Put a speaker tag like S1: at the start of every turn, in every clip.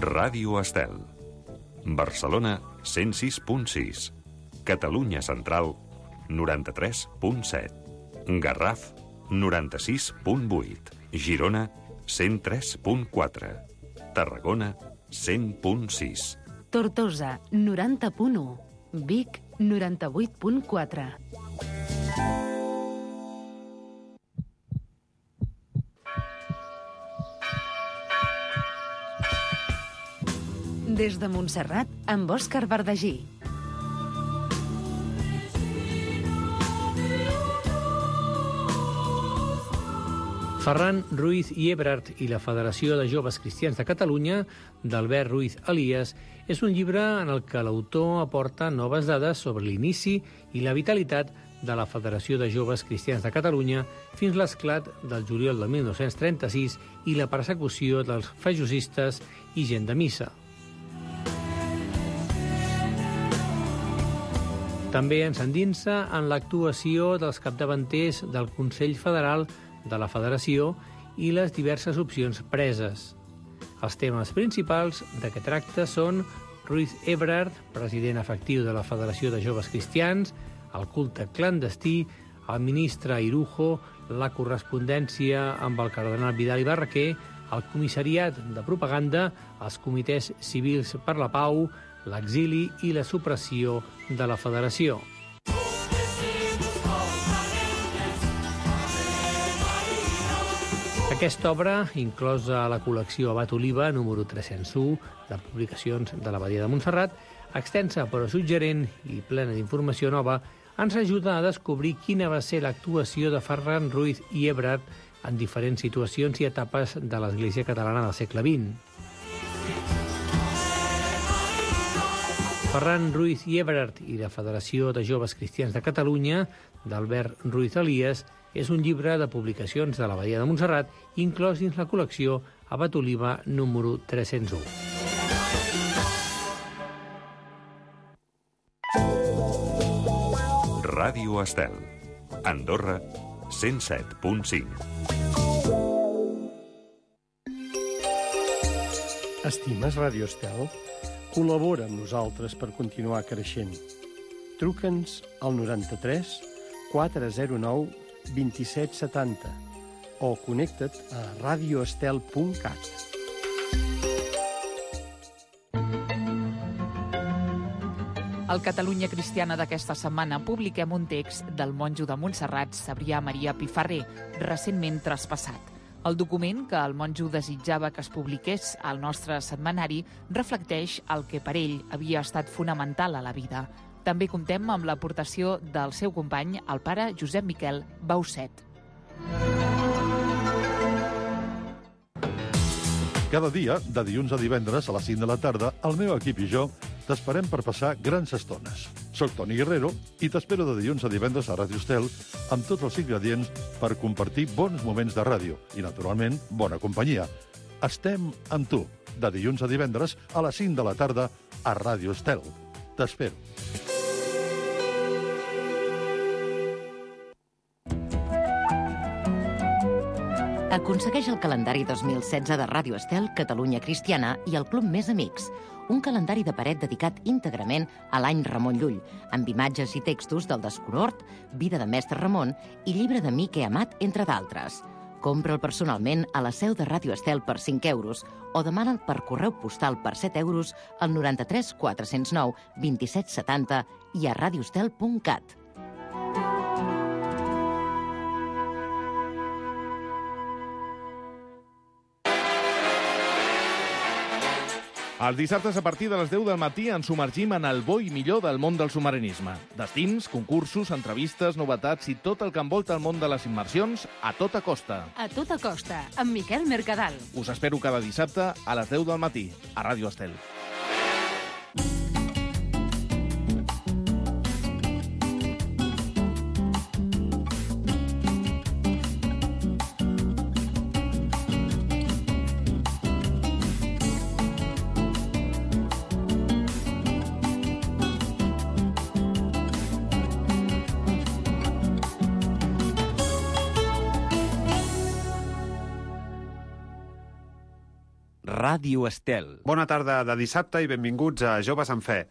S1: Ràdio Estel. Barcelona, 106.6. Catalunya Central, 93.7. Garraf, 96.8. Girona, 103.4. Tarragona, 100.6.
S2: Tortosa, 90.1. Vic, 98.4. Des de Montserrat, amb Òscar Verdagí.
S3: Ferran Ruiz i Ebrard i la Federació de Joves Cristians de Catalunya, d'Albert Ruiz Elias, és un llibre en el que l'autor aporta noves dades sobre l'inici i la vitalitat de la Federació de Joves Cristians de Catalunya fins l'esclat del juliol de 1936 i la persecució dels fajosistes i gent de missa. També ens endinsa en l'actuació dels capdavanters del Consell Federal de la Federació i les diverses opcions preses. Els temes principals de què tracta són Ruiz Ebrard, president efectiu de la Federació de Joves Cristians, el culte clandestí, el ministre Irujo, la correspondència amb el cardenal Vidal i Barraquer, el comissariat de propaganda, els comitès civils per la pau, l'exili i la supressió de la Federació. Aquesta obra, inclosa a la col·lecció Abat Oliva, número 301, de publicacions de l'Abadia de Montserrat, extensa però suggerent i plena d'informació nova, ens ajuda a descobrir quina va ser l'actuació de Ferran Ruiz i Ebrard en diferents situacions i etapes de l'Església catalana del segle XX. Ferran Ruiz i Ebrard i la Federació de Joves Cristians de Catalunya, d'Albert Ruiz Elias, és un llibre de publicacions de l'Abadia de Montserrat inclòs dins la col·lecció Abat Oliva número 301.
S1: Ràdio Estel. Andorra, 107.5.
S4: Estimes Ràdio Estel? Col·labora amb nosaltres per continuar creixent. Truca'ns al 93 409 2770 o connecta't a radioestel.cat.
S5: Al Catalunya Cristiana d'aquesta setmana publiquem un text del monjo de Montserrat, Cebrià Maria Pifarré, recentment traspassat. El document que el monjo desitjava que es publiqués al nostre setmanari reflecteix el que per ell havia estat fonamental a la vida. També comptem amb l'aportació del seu company, el pare Josep Miquel Bauset.
S6: Cada dia, de dilluns a divendres a les 5 de la tarda, el meu equip i jo t'esperem per passar grans estones. Soc Toni Guerrero i t'espero de dilluns a divendres a Ràdio Estel amb tots els ingredients per compartir bons moments de ràdio i, naturalment, bona companyia. Estem amb tu, de dilluns a divendres a les 5 de la tarda a Ràdio Estel. T'espero.
S7: Aconsegueix el calendari 2016 de Ràdio Estel, Catalunya Cristiana i el Club Més Amics, un calendari de paret dedicat íntegrament a l'any Ramon Llull, amb imatges i textos del Desconhort, Vida de Mestre Ramon i Llibre de Mique Amat, entre d'altres. Compra'l personalment a la seu de Ràdio Estel per 5 euros o demana'l per correu postal per 7 euros al 93 409 2770 i a radioestel.cat.
S8: Els dissabtes a partir de les 10 del matí ens submergim en el bo i millor del món del submarinisme. Destins, concursos, entrevistes, novetats i tot el que envolta el món de les immersions a tota costa.
S2: A tota costa, amb Miquel Mercadal.
S8: Us espero cada dissabte a les 10 del matí a Ràdio Estel.
S9: Ràdio Estel.
S10: Bona tarda de dissabte i benvinguts a Joves en Fe.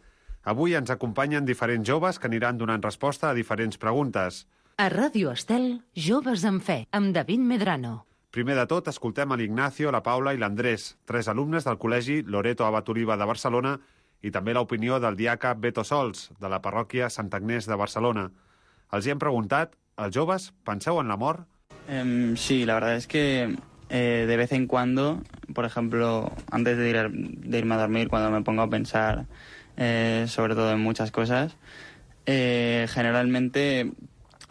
S10: Avui ens acompanyen diferents joves que aniran donant resposta a diferents preguntes.
S2: A Ràdio Estel, Joves en Fe, amb David Medrano.
S10: Primer de tot, escoltem a l'Ignacio, la Paula i l'Andrés, 3 alumnes del Col·legi Loreto Abat Oliva de Barcelona, i també l'opinió del diaca Beto Sols, de la parròquia Sant Agnès de Barcelona. Els hi hem preguntat, els joves, penseu en la mort?
S11: Sí, la verdad es que de vez en cuando, por ejemplo, antes de irme a dormir, cuando me pongo a pensar sobre todo en muchas cosas, generalmente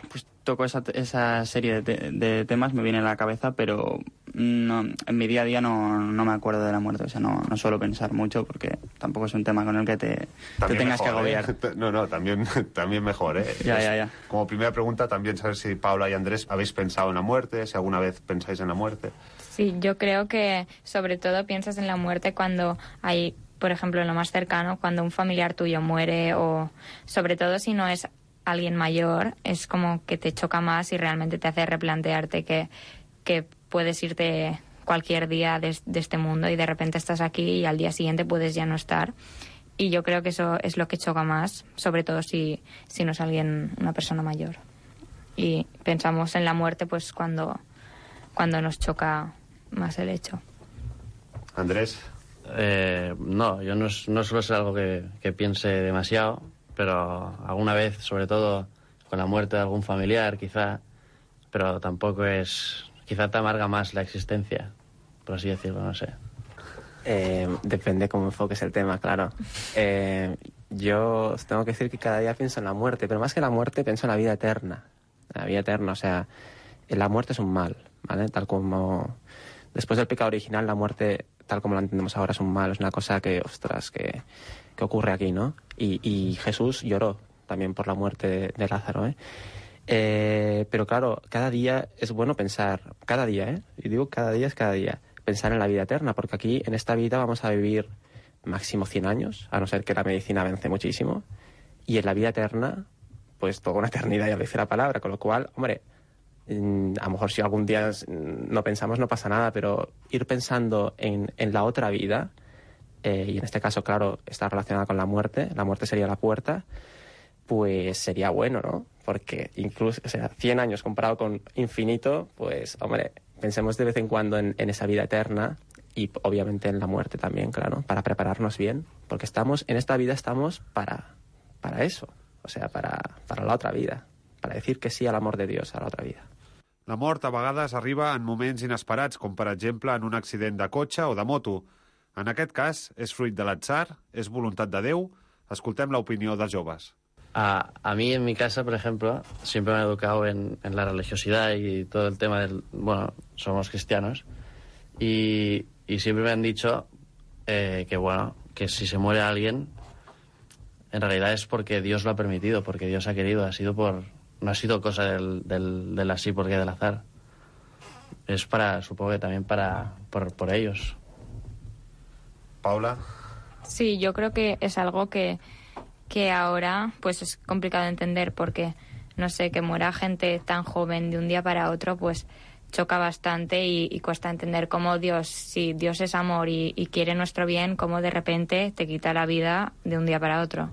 S11: pues toco esa serie de temas, me viene a la cabeza, pero no, en mi día a día no me acuerdo de la muerte, o sea, no suelo pensar mucho porque tampoco es un tema con el que te tengas que agobiar.
S10: No, también mejor, ¿eh?
S11: Ya.
S10: Como primera pregunta, también saber si Paula y Andrés habéis pensado en la muerte, si alguna vez pensáis en la muerte.
S12: Sí, yo creo que sobre todo piensas en la muerte cuando hay, por ejemplo, en lo más cercano, cuando un familiar tuyo muere, o sobre todo si no es alguien mayor, es como que te choca más y realmente te hace replantearte que puedes irte cualquier día de este mundo y de repente estás aquí y al día siguiente puedes ya no estar. Y yo creo que eso es lo que choca más, sobre todo si no es una persona mayor. Y pensamos en la muerte pues cuando nos choca más el hecho.
S10: Andrés.
S13: No, yo no suelo ser algo que piense demasiado, pero alguna vez, sobre todo con la muerte de algún familiar, quizá, pero tampoco es... Quizá te amarga más la existencia, por así decirlo, no sé.
S14: Depende cómo enfoques el tema, claro. Yo os tengo que decir que cada día pienso en la muerte, pero más que la muerte pienso en la vida eterna. La vida eterna, o sea, la muerte es un mal, ¿vale? Tal como... Después del pecado original, la muerte, tal como la entendemos ahora, es un mal, es una cosa que, ostras, que ocurre aquí, ¿no? Y Jesús lloró también por la muerte de Lázaro, ¿eh? Pero claro, cada día es bueno pensar, cada día, y digo cada día es cada día, pensar en la vida eterna, porque aquí en esta vida vamos a vivir máximo 100 años, a no ser que la medicina avance muchísimo, y en la vida eterna, pues toda una eternidad, ya lo dice la palabra, con lo cual, hombre, a lo mejor si algún día no pensamos no pasa nada, pero ir pensando en la otra vida, y en este caso, claro, está relacionada con la muerte sería la puerta, pues sería bueno, ¿no? Porque incluso, o sea, 100 años comparado con infinito, pues, hombre, pensemos de vez en cuando en esa vida eterna y obviamente en la muerte también, claro, para prepararnos bien, porque en esta vida estamos para eso, o sea, para la otra vida, para decir que sí al amor de Dios, a la otra vida.
S10: La mort a vegades arriba en moments inesperats, com per exemple en un accident de cotxe o de moto. En aquest cas, és fruit de l'atzar, és voluntat de Déu. Escoltem l'opinió dels joves.
S13: A mí en mi casa, por ejemplo, siempre me he educado en la religiosidad y todo el tema bueno, somos cristianos y siempre me han dicho que si se muere alguien, en realidad es porque Dios lo ha permitido, porque Dios ha querido, no ha sido cosa del así porque del azar. Es supongo que también por ellos.
S10: Paula.
S12: Sí, yo creo que es algo que ahora pues es complicado de entender porque, no sé, que muera gente tan joven de un día para otro, pues choca bastante y cuesta entender cómo si Dios es amor y quiere nuestro bien, cómo de repente te quita la vida de un día para otro.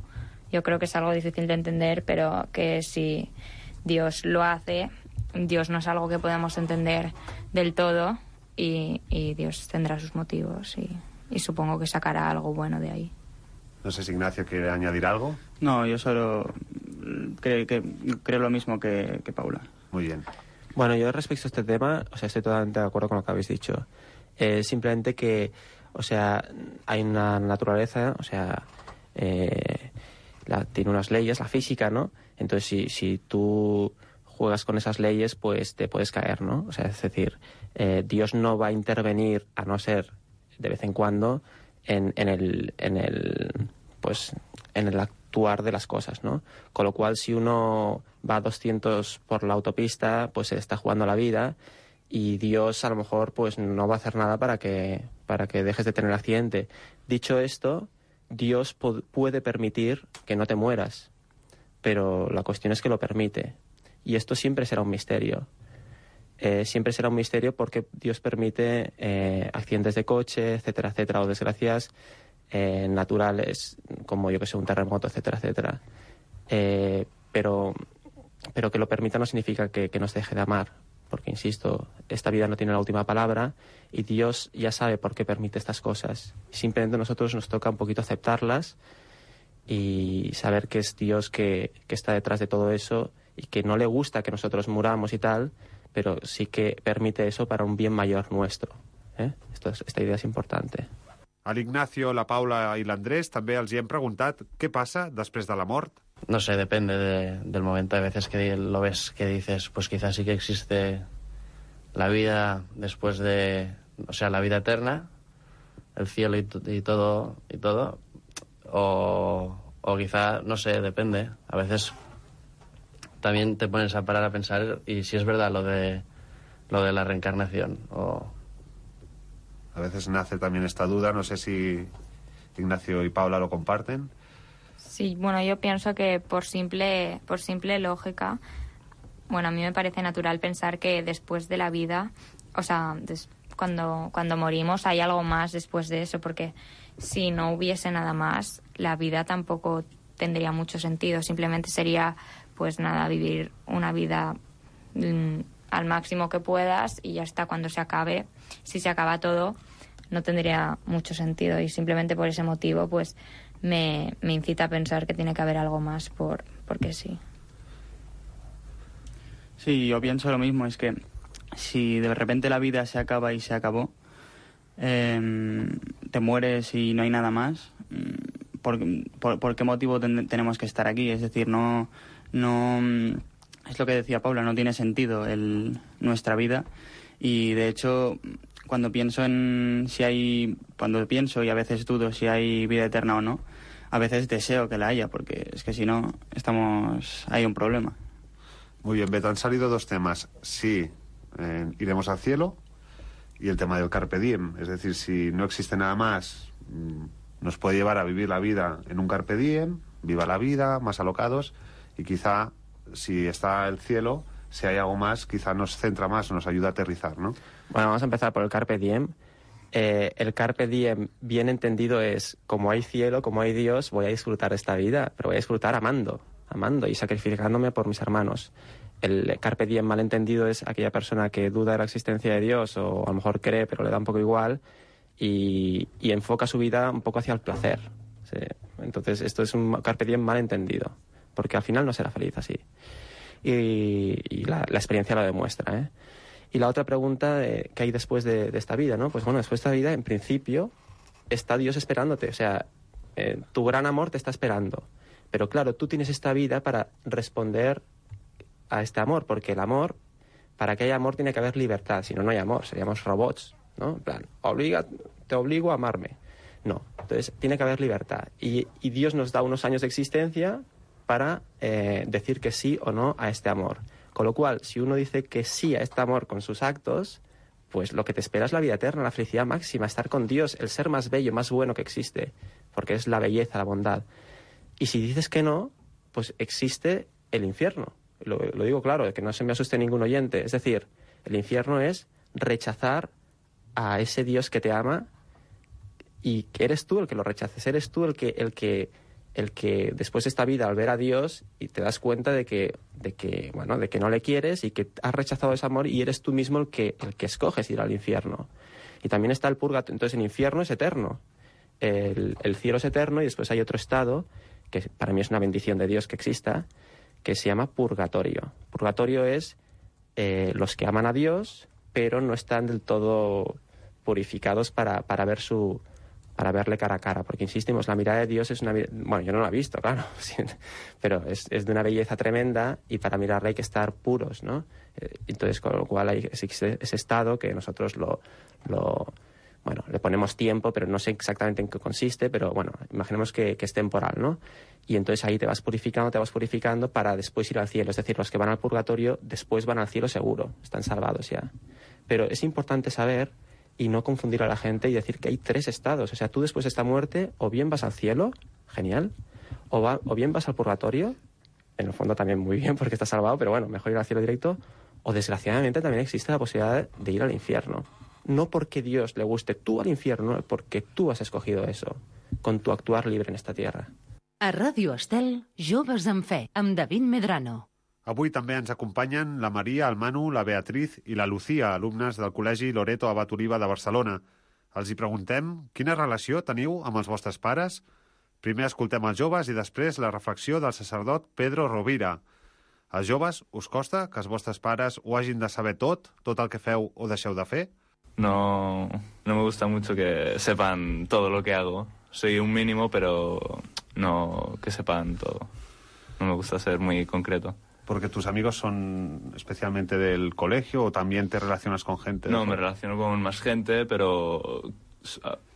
S12: Yo creo que es algo difícil de entender, pero que si Dios lo hace, Dios no es algo que podamos entender del todo y Dios tendrá sus motivos y supongo que sacará algo bueno de ahí.
S10: No sé si Ignacio quiere añadir algo.
S11: No, yo solo creo lo mismo que Paula.
S10: Muy bien.
S14: Bueno, yo respecto a este tema, o sea, estoy totalmente de acuerdo con lo que habéis dicho. Simplemente que, o sea, hay una naturaleza, o sea, tiene unas leyes, la física, ¿no? Entonces, si tú juegas con esas leyes, pues te puedes caer, ¿no? O sea, es decir, Dios no va a intervenir, a no ser de vez en cuando, en el actuar de las cosas, ¿no? Con lo cual, si uno va a 200 por la autopista, pues se está jugando la vida y Dios a lo mejor pues no va a hacer nada para que dejes de tener accidente. Dicho esto, Dios puede permitir que no te mueras, pero la cuestión es que lo permite. Y esto siempre será un misterio. siempre será un misterio porque Dios permite accidentes de coche, etcétera, etcétera, o desgracias naturales, como yo que sé, un terremoto, etcétera, etcétera. Pero que lo permita no significa que nos deje de amar, porque, insisto, esta vida no tiene la última palabra y Dios ya sabe por qué permite estas cosas. Simplemente a nosotros nos toca un poquito aceptarlas y saber que es Dios que está detrás de todo eso y que no le gusta que nosotros muramos y tal, pero sí que permite eso para un bien mayor nuestro. Esta idea es importante.
S10: A l'Ignacio, la Paula i l'Andrés també els hi hem preguntat què passa després de la mort.
S13: No sé, depende del momento. Hay veces que lo ves que dices, pues quizás sí que existe la vida después de... O sea, la vida eterna, el cielo y todo. O quizá, no sé, depende. A veces también te pones a parar a pensar y si es verdad lo de la reencarnación.
S10: A veces nace también esta duda, no sé si Ignacio y Paula lo comparten.
S12: Sí, bueno, yo pienso que por simple lógica, bueno, a mí me parece natural pensar que después de la vida, o sea, cuando morimos hay algo más después de eso, porque si no hubiese nada más, la vida tampoco tendría mucho sentido, simplemente sería, pues nada, vivir una vida al máximo que puedas y ya está. Cuando se acabe, si se acaba todo, no tendría mucho sentido y simplemente por ese motivo, pues me incita a pensar que tiene que haber algo más porque sí.
S11: Sí, yo pienso lo mismo, es que si de repente la vida se acaba y se acabó, te mueres y no hay nada más, ¿por qué motivo tenemos que estar aquí? Es decir, no es lo que decía Paula, no tiene sentido nuestra vida y de hecho cuando pienso y a veces dudo si hay vida eterna o no, a veces deseo que la haya, porque es que si no hay un problema.
S10: Muy bien, Beto, han salido dos temas. Si iremos al cielo y el tema del carpe diem. Es decir, si no existe nada más, nos puede llevar a vivir la vida en un carpe diem, viva la vida, más alocados, y quizá si está el cielo, si hay algo más, quizá nos centra más, nos ayuda a aterrizar, ¿no?
S14: Bueno, vamos a empezar por el carpe diem. El carpe diem, bien entendido, es como hay cielo, como hay Dios, voy a disfrutar esta vida, pero voy a disfrutar amando y sacrificándome por mis hermanos. El carpe diem mal entendido es aquella persona que duda de la existencia de Dios o a lo mejor cree, pero le da un poco igual y enfoca su vida un poco hacia el placer. ¿Sí? Entonces esto es un carpe diem mal entendido, porque al final no será feliz así. Y la experiencia lo demuestra, Y la otra pregunta, ¿qué hay después de esta vida, no? Pues bueno, después de esta vida, en principio, está Dios esperándote. O sea, tu gran amor te está esperando. Pero claro, tú tienes esta vida para responder a este amor, porque el amor, para que haya amor tiene que haber libertad. Si no, no hay amor, seríamos robots, ¿no? En plan, te obligo a amarme. No, entonces tiene que haber libertad. Y Dios nos da unos años de existencia para decir que sí o no a este amor. Con lo cual, si uno dice que sí a este amor con sus actos, pues lo que te espera es la vida eterna, la felicidad máxima, estar con Dios, el ser más bello, más bueno que existe, porque es la belleza, la bondad. Y si dices que no, pues existe el infierno. Lo digo claro, que no se me asuste ningún oyente. Es decir, el infierno es rechazar a ese Dios que te ama y que eres tú el que lo rechaces, eres tú el que después de esta vida, al ver a Dios, y te das cuenta de que no le quieres y que has rechazado ese amor y eres tú mismo el que escoges ir al infierno. Y también está el purgatorio. Entonces el infierno es eterno, el cielo es eterno y después hay otro estado, que para mí es una bendición de Dios que exista, que se llama purgatorio. Purgatorio es los que aman a Dios, pero no están del todo purificados para verle cara a cara, porque insistimos, la mirada de Dios es una... Bueno, yo no la he visto, claro, pero es de una belleza tremenda y para mirarla hay que estar puros, ¿no? Entonces, con lo cual existe ese estado que nosotros le ponemos tiempo, pero no sé exactamente en qué consiste, pero bueno, imaginemos que es temporal, ¿no? Y entonces ahí te vas purificando para después ir al cielo. Es decir, los que van al purgatorio después van al cielo seguro, están salvados ya. Pero es importante saber y no confundir a la gente y decir que hay tres estados. O sea, tú después de esta muerte o bien vas al cielo, genial, o bien vas al purgatorio, en el fondo también muy bien porque estás salvado, pero bueno, mejor ir al cielo directo, O desgraciadamente también existe la posibilidad de ir al infierno. No porque Dios le guste tú al infierno, porque tú has escogido eso, con tu actuar libre en esta tierra.
S2: A Ràdio Estel, Joves en Fe, amb David Medrano.
S10: Avui també ens acompanyen la Maria, el Manu, la Beatriz i la Lucía, alumnes del Col·legi Loreto Abat Oliva de Barcelona. Els hi preguntem quina relació teniu amb els vostres pares. Primer escoltem els joves i després la reflexió del sacerdot Pedro Rovira. Als joves, us costa que els vostres pares ho hagin de saber tot el que feu o deixeu de fer?
S9: No me gusta mucho que sepan todo lo que hago. Soy un mínimo, pero no que sepan todo. No me gusta ser muy concreto.
S10: ¿Porque tus amigos son especialmente del colegio o también te relacionas con gente?
S9: No, me relaciono con más gente, pero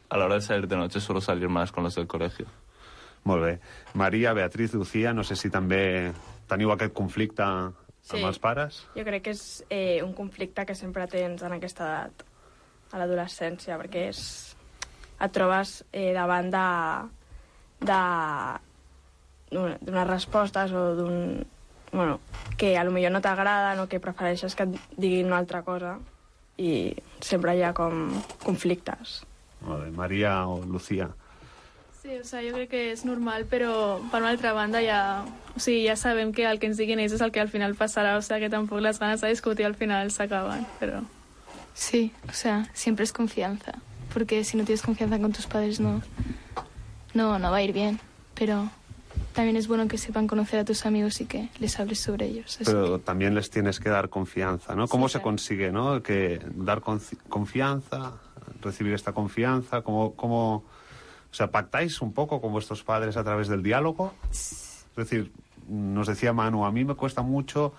S9: a la hora de salir de noche suelo salir más con los del colegio.
S10: Molt bé. Maria, Beatriz, Lucía, no sé si també teniu aquest conflicte amb els pares?
S15: Jo crec que és un conflicte que sempre tens en aquesta edat, a l'adolescència, perquè et trobes davant d'unes respostes o d'un... Bueno, que a lo millor no t'agraden o que prefereixes que et diguin una altra cosa i sempre hi ha com conflictes.
S10: Molt bé. Maria o Lucía?
S16: Sí, o sea, yo creo que es normal, pero por una otra banda ya sabem que el que ens diguin ells és el que al final pasará, o sea, que tampoco las ganas de discutir al final se acaban, pero...
S17: Sí, o sea, siempre es confianza, porque si no tienes confianza con tus padres no va a ir bien, pero también es bueno que sepan conocer a tus amigos y que les hables sobre ellos.
S10: Pero también les tienes que dar confianza, ¿no? ¿Cómo se consigue, no? Que dar confianza, recibir esta confianza, ¿cómo... O sea, ¿pactáis un poco con vuestros padres a través del diálogo? Es decir, nos decía Manu, a mí me cuesta mucho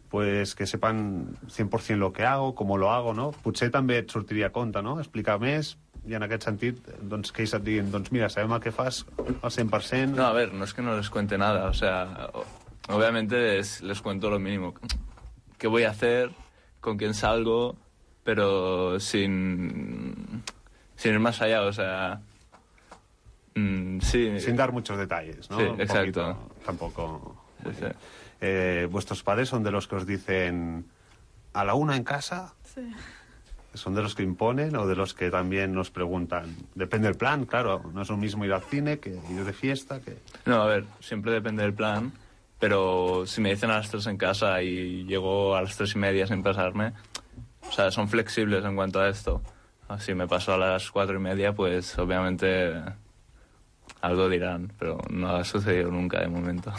S10: pues que sepan 100% lo que hago, cómo lo hago, no? Potser també et sortiria a compte, no? Explicar més i en aquest sentit, doncs, que ells et diguin, doncs mira, sabem el que fas al 100%...
S9: No, a ver, no es que no les cuente nada, o sea, obviamente les cuento lo mínimo. ¿Qué voy a hacer? ¿Con quién salgo? Pero sin ir más allá, o sea... sí.
S10: Sin dar muchos detalles, ¿no?
S9: Sí,
S10: un
S9: exacto.
S10: Poquito, tampoco...
S9: Sí.
S10: ¿Vuestros padres son de los que os dicen a la una en casa?
S16: Sí.
S10: ¿Son de los que imponen o de los que también nos preguntan? Depende del plan, claro. No es lo mismo ir al cine que ir de fiesta.
S9: No, a ver, siempre depende del plan, pero si me dicen a las 3 en casa y llego a las 3:30 sin pasarme, o sea, son flexibles en cuanto a esto. Si me paso a las 4:30, pues obviamente algo dirán, pero no ha sucedido nunca de momento.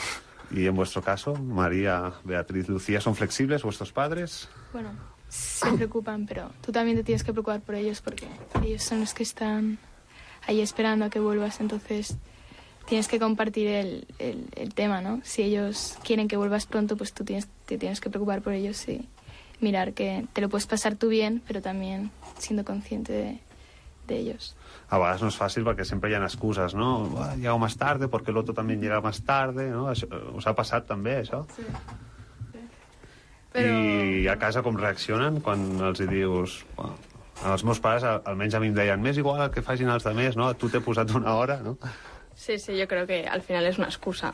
S10: ¿Y en vuestro caso, María, Beatriz, Lucía, son flexibles vuestros padres?
S17: Bueno, se preocupan, pero tú también te tienes que preocupar por ellos porque ellos son los que están ahí esperando a que vuelvas, entonces tienes que compartir el tema, ¿no? Si ellos quieren que vuelvas pronto, pues tú te tienes que preocupar por ellos y mirar que te lo puedes pasar tú bien, pero también siendo consciente de ellos.
S10: A vegades no és fàcil perquè sempre hi ha excuses, no? Llego más tarde porque el otro también llega más tarde, no? Us ha passat també, això?
S16: Sí. Però...
S10: I a casa com reaccionen quan els hi dius... Bueno, els meus pares almenys a mi em deien més igual el que facin els altres, no? Tu t'he posat una hora, ¿no?
S15: Sí, yo creo que al final es una excusa.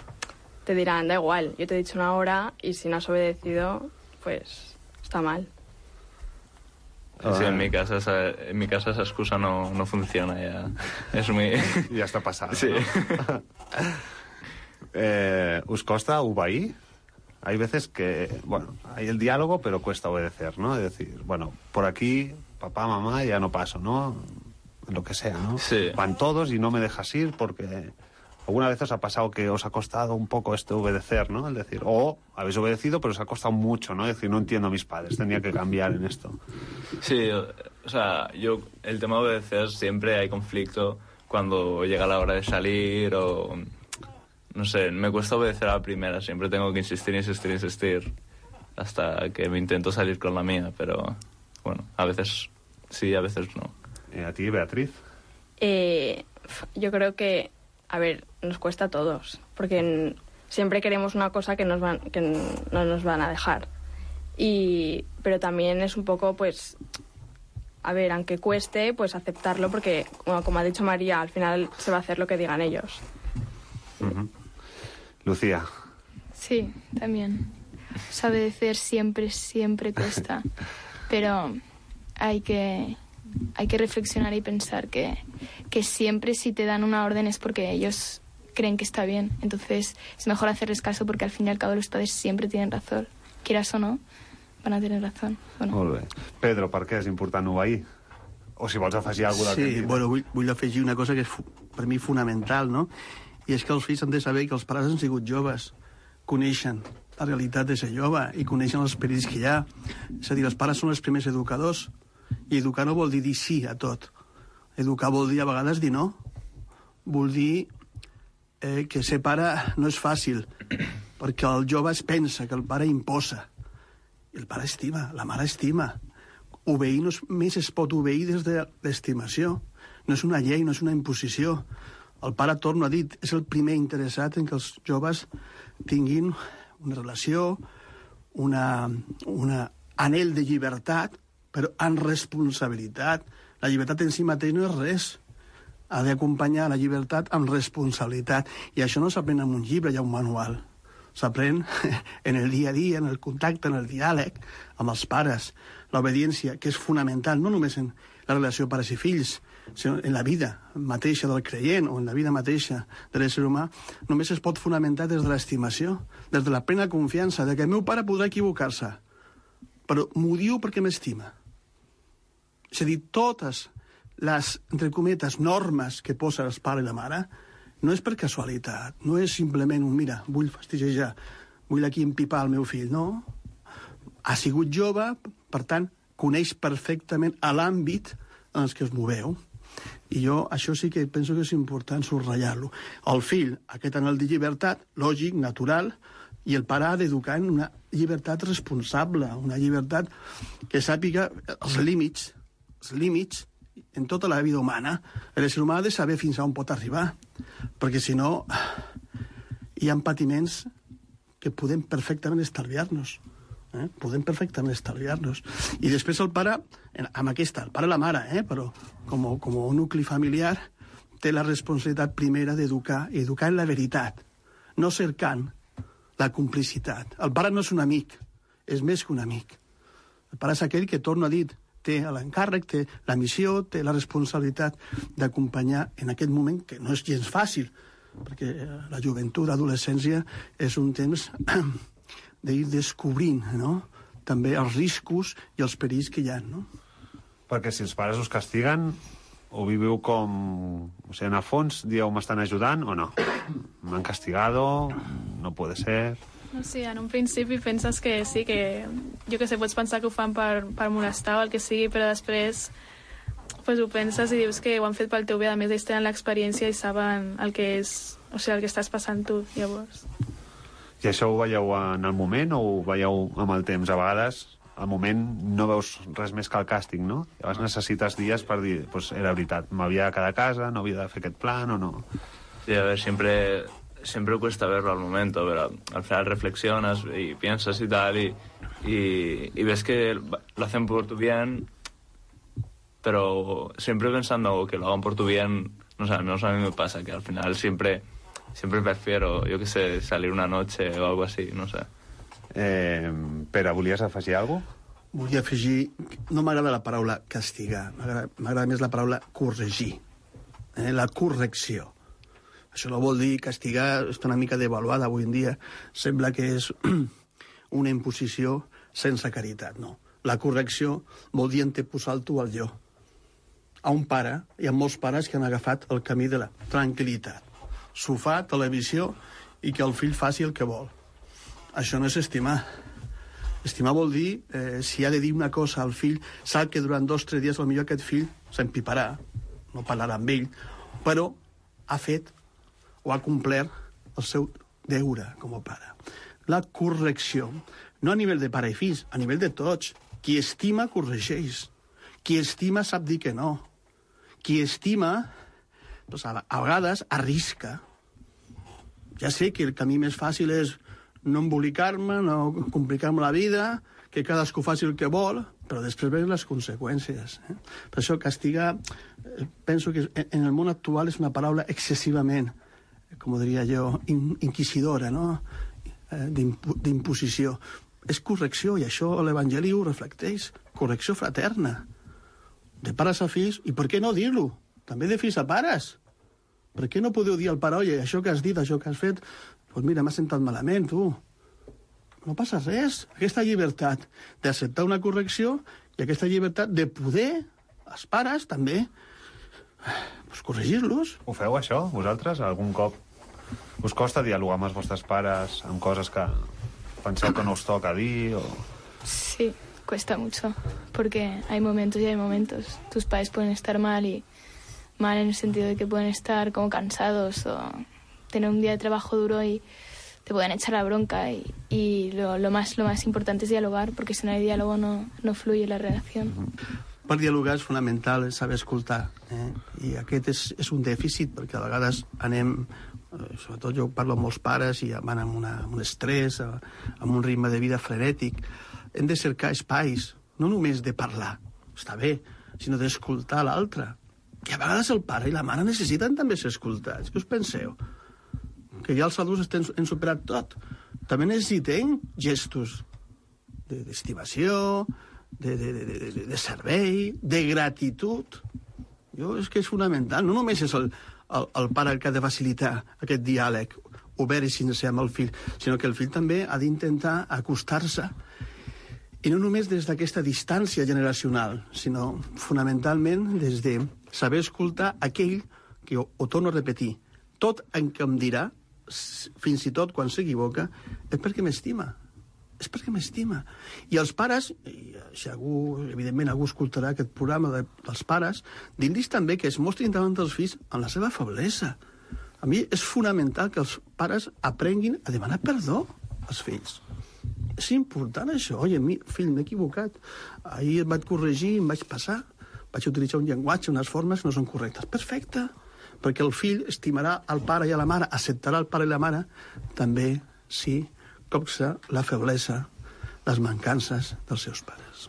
S15: Te dirán, da igual, yo te he dicho una hora y si no has obedecido, pues está mal.
S9: Sí, en mi casa esa excusa no funciona ya. Es muy...
S10: Ya está pasada,
S9: sí.
S10: ¿no? ¿Os costa obeir? Hay veces que, bueno, hay el diálogo, pero cuesta obedecer, ¿no? Es decir, bueno, por aquí, papá, mamá, ya no paso, ¿no? Lo que sea, ¿no?
S9: Sí.
S10: Van todos y no me dejas ir porque... ¿Alguna vez os ha pasado que os ha costado un poco obedecer, ¿no? Es decir, o habéis obedecido, pero os ha costado mucho, ¿no? Es decir, no entiendo a mis padres, tenía que cambiar en esto.
S9: Sí, o sea, el tema de obedecer siempre hay conflicto cuando llega la hora de salir o... No sé, me cuesta obedecer a la primera, siempre tengo que insistir hasta que me intento salir con la mía, pero bueno, a veces sí, a veces no.
S10: ¿A ti, Beatriz?
S15: Yo creo que, a ver, nos cuesta a todos, porque siempre queremos una cosa que no nos van a dejar. Pero también es un poco, pues, a ver, aunque cueste, pues aceptarlo, porque, bueno, como ha dicho María, al final se va a hacer lo que digan ellos.
S10: Uh-huh. Lucía.
S17: Sí, también. obedecer siempre cuesta. Pero hay que reflexionar y pensar que siempre si te dan una orden es porque ellos creen que está bien. Entonces es mejor hacerles caso porque al fin y al cabo los padres siempre tienen razón. Quieras o no, van a tener razón. Bueno.
S10: Molt bé. Pedro, per què és important obeir? O si vols afegir alguna cosa del que hem dit.
S18: Bueno, vull afegir una cosa que és per mi fonamental, no? I és que els fills han de saber que els pares han sigut joves, coneixen la realitat de ser jove i coneixen els perills que hi ha. És a dir, els pares són els primers educadors i educar no vol dir sí a tot. Educar vol dir a vegades dir no. Vol dir que ser pare no és fàcil, perquè el jove es pensa que el pare imposa. I el pare estima, la mare estima. Obeir només es pot obeir des de l'estimació. No és una llei, no és una imposició. El pare, torno a dir, és el primer interessat en que els joves tinguin una relació, un anhel de llibertat, però amb responsabilitat. La llibertat en si mateix no és res. Ha d'acompanyar la llibertat amb responsabilitat. I això no s'aprèn en un llibre, hi ha un manual. S'aprèn en el dia a dia, en el contacte, en el diàleg amb els pares. L'obediència, que és fonamental, no només en la relació pares i fills, sinó en la vida mateixa del creient o en la vida mateixa de l'ésser humà, només es pot fonamentar des de l'estimació, des de la plena confiança de que el meu pare podrà equivocar-se, però m'ho diu perquè m'estima. És a dir, totes les, entre cometes, normes que posa el pare i la mare no és per casualitat, no és simplement un mira, vull fastiguejar, vull aquí empipar el meu fill, no. Ha sigut jove, per tant, coneix perfectament l'àmbit en el que es moveu. I jo això sí que penso que és important subratllar-lo. El fill, aquest anhel de llibertat, lògic, natural, i el pare ha d'educar en una llibertat responsable, una llibertat que sàpiga els límits en tota la vida humana. L'ésser humà ha de saber fins a on pot arribar, perquè si no hi ha patiments que podem perfectament estalviar-nos. Podem perfectament estalviar-nos. I després el pare, amb aquesta, el pare i la mare, però com a nucli familiar, té la responsabilitat primera d'educar, i educar en la veritat, no cercant la complicitat. El pare no és un amic, és més que un amic. El pare és aquell que, torno a dir, té l'encàrrec, té la missió, té la responsabilitat d'acompanyar en aquest moment, que no és gens fàcil, perquè la joventut, l'adolescència, és un temps d'ir descobrint, no?, també els riscos i els perills que hi ha, no?
S10: Perquè si els pares us castiguen, ho viviu com... O sigui, en el fons, dieu, m'estan ajudant o no? M'han castigado, no puede ser...
S16: Sí, en un principi penses que sí, que jo que sé, pots pensar que ho fan per molestar o el que sigui, però després pues, ho penses i dius que ho han fet pel teu bé, a més ells tenen l'experiència i saben el que és, o sigui, el que estàs passant tu, llavors.
S10: I això ho veieu en el moment o ho veieu amb el temps? A vegades, al moment, no veus res més que el càstig, no? Llavors necessites dies per dir, pues era veritat, m'havia de quedar a casa, no havia de fer aquest plan o no?
S9: Sí, a ver, siempre cuesta verlo al momento, pero al final reflexionas y piensas y tal, y ves que lo hacen por tu bien, pero siempre pensando que lo hagan por tu bien, no sé, al menos a mí me pasa que al final siempre prefiero, yo qué sé, salir una noche o algo así, no sé.
S10: Pere, volies afegir alguna cosa?
S18: Volia afegir... No m'agrada la paraula castigar, m'agrada més la paraula corregir, la correcció. Això no vol dir castigar, està una mica devaluada avui en dia. Sembla que és una imposició sense caritat, no. La correcció vol dir anteposar el tu al jo. A un pare, hi ha molts pares que han agafat el camí de la tranquil·litat. Sofà, televisió i que el fill faci el que vol. Això no és estimar. Estimar vol dir, si ha de dir una cosa al fill, sap que durant 2 o 3 dies potser aquest fill s'empiparà, no parlarà amb ell, però ha fet o ha complert el seu deure com a pare. La correcció, no a nivell de pare i fills, a nivell de tots. Qui estima, corregeix. Qui estima sap dir que no. Qui estima, doncs a vegades, arrisca. Ja sé que el camí més fàcil és no embolicar-me, no complicar-me la vida, que cadascú faci el que vol, però després venen les conseqüències. Per això castigar, penso que en el món actual és una paraula excessivament, com diria jo, inquisidora, no?, d'imposició. és correcció, i això l'Evangeli ho reflecteix. Correcció fraterna. De pares a fills, i per què no dir-lo? També de fills a pares. Per què no podeu dir al pare, oye, això que has dit, això que has fet, doncs mira, m'ha sentat malament, tu. No passa res. Aquesta llibertat d'acceptar una correcció i aquesta llibertat de poder, els pares, també, pues, corregir-los.
S10: Ho feu, això, vosaltres? Algun cop us costa dialogar amb els vostres pares amb coses que penseu que no us toca dir? O...
S17: Sí, cuesta mucho, porque hay momentos y hay momentos. Tus padres pueden estar mal y mal en el sentido de que pueden estar como cansados o tener un día de trabajo duro y te pueden echar la bronca y lo más importante es dialogar, porque si no hay diálogo no fluye la relación.
S18: Per dialogar és fonamental saber escoltar, i aquest és un dèficit, perquè a vegades anem, sobretot jo parlo amb molts pares i van amb un estrès, amb un ritme de vida frenètic. Hem de cercar espais, no només de parlar, està bé, sinó d'escoltar l'altre. I a vegades el pare i la mare necessiten també ser escoltats. Què us penseu? Que ja els adults hem superat tot. També necessitem gestos d'estimació, de servei, de gratitud. És que és fonamental. No només és el pare el que ha de facilitar aquest diàleg obert i sincer amb el fill, sinó que el fill també ha d'intentar acostar-se, i no només des d'aquesta distància generacional, sinó fonamentalment des de saber escoltar aquell que, ho torno a repetir, tot en què em dirà, fins i tot quan s'equivoca, és perquè m'estima. És perquè m'estima. I els pares, i si algú, evidentment algú escoltarà aquest programa dels pares, dir-los també que es mostrin davant dels fills amb la seva feblesa. A mi és fonamental que els pares aprenguin a demanar perdó als fills. És important això. Oye, fill, m'he equivocat. Ahir et vaig corregir, em vaig passar. Vaig utilitzar un llenguatge, unes formes que no són correctes. Perfecte. Perquè el fill estimarà el pare i a la mare, acceptarà el pare i la mare, també, sí, copsa la feblesa, les mancances dels seus pares.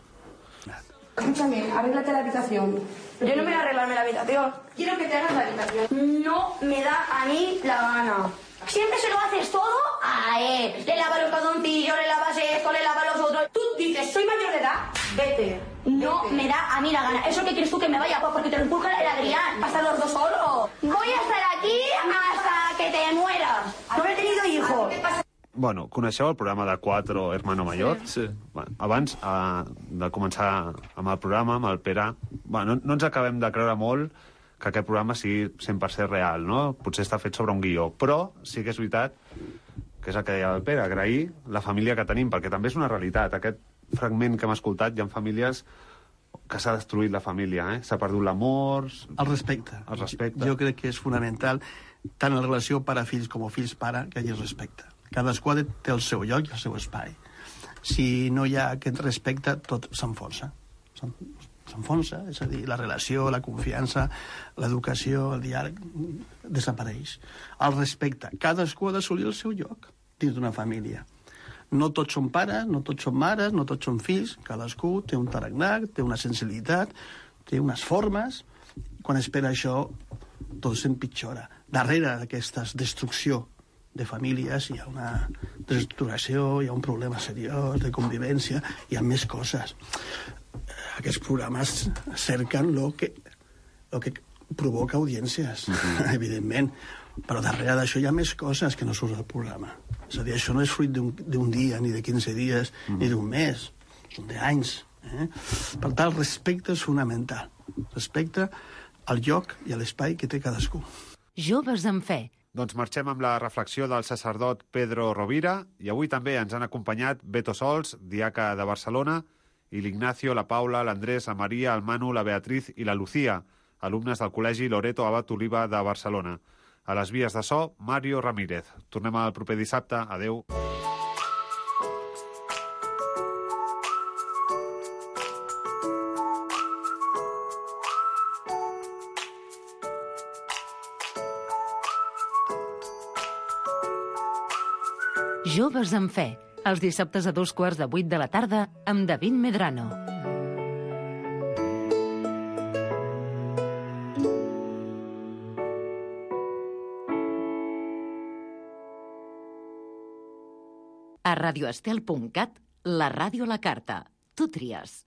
S19: Escúchame, arréglate la habitación. Yo no me voy a arreglarme la habitación. Quiero que te hagas la habitación. No me da a mí la gana. Siempre se lo haces todo a él. Le lavas los calzoncillos, le lavas esto, le lavas los otros. Tú dices, soy mayor de edad, vete. No me da a mí la gana. ¿Eso qué quieres tú que me vaya? Pues porque te lo empuja el Adrián. ¿Vas a estar los dos solos? Voy a estar aquí hasta que te mueras. No he tenido hijos.
S10: Bueno, coneixeu el programa de Cuatro Hermano Mayor?
S9: Sí.
S10: Bueno, abans de començar amb el programa, amb el Pere, bueno, no ens acabem de creure molt que aquest programa sigui 100% real, no? Potser està fet sobre un guió, però sí que és veritat, que és el que deia el Pere, agrair la família que tenim, perquè també és una realitat. Aquest fragment que hem escoltat, hi ha famílies que s'ha destruït la família, s'ha perdut l'amor...
S18: El respecte.
S10: El respecte.
S18: Jo crec que és fonamental, tant en la relació pare-fills com fills-pare, que hi hagi respecte. Cadascú té el seu lloc i el seu espai. Si no hi ha aquest respecte, tot s'enfonsa. S'enfonsa, és a dir, la relació, la confiança, l'educació, el diàleg, desapareix. El respecte. Cadascú ha d'assolir el seu lloc dins d'una família. No tots són pares, no tots són mares, no tots són fills. Cadascú té un tarannà, té una sensibilitat, té unes formes. Quan espera això, tot s'empitjora. Darrere d'aquesta destrucció de famílies hi ha una desestructuració, hi ha un problema seriós de convivència, hi ha més coses. Aquests programes cerquen lo que provoca audiències, evidentment, però darrere d'això hi ha més coses que no surt del programa. És a dir, això no és fruit d'un dia, ni de 15 dies, ni d'un mes, són d'anys. Per tant, el respecte és fonamental. Respecte al lloc i a l'espai que té cadascú.
S2: Joves amb fe.
S10: Doncs marxem amb la reflexió del sacerdot Pedro Rovira, i avui també ens han acompanyat Beto Sols, diaca de Barcelona, i l'Ignacio, la Paula, l'Andrés, la Maria, el Manu, la Beatriz i la Lucía, alumnes del Col·legi Loreto Abat Oliva de Barcelona. A les vies de so, Mario Ramírez. Tornem el proper dissabte. Adeu.
S2: Joves amb fe, els dissabtes a 7:15 de la tarda amb David Medrano. A radioestel.cat,
S7: La ràdio a la carta. Tu tries.